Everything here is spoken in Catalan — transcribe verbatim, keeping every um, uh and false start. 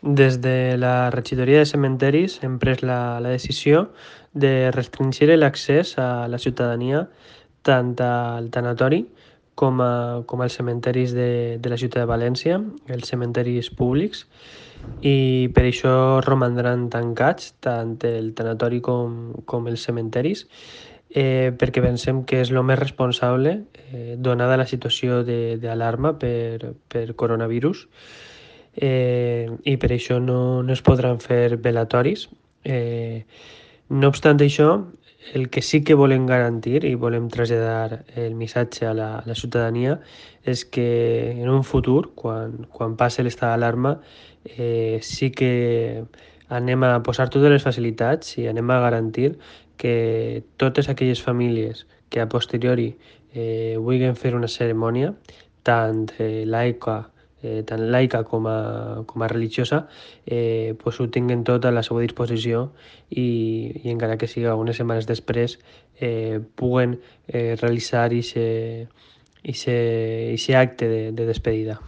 Des de la regidoria de cementeris hem pres la, la decisió de restringir l'accés a la ciutadania tant al tanatori com, a, com als cementeris de, de la ciutat de València, els cementeris públics, i per això romandran tancats tant el tanatori com, com els cementeris, eh, perquè pensem que és el més responsable, eh, donada la situació d'alarma per, per coronavirus, eh, i per això no, no es podran fer velatoris. Eh, no obstant això, el que sí que volem garantir i volem traslladar el missatge a la, a la ciutadania és que en un futur, quan, quan passi l'estat d'alarma, eh, sí que anem a posar totes les facilitats i anem a garantir que totes aquelles famílies que a posteriori eh, vulguin fer una cerimònia, tant eh, laica eh, tant laica com a, com a religiosa, eh, pues ho tinguen tot a la seva disposició i, i encara que siga unes setmanes després, eh, puguen eh, realitzar aquest acte de, de despedida.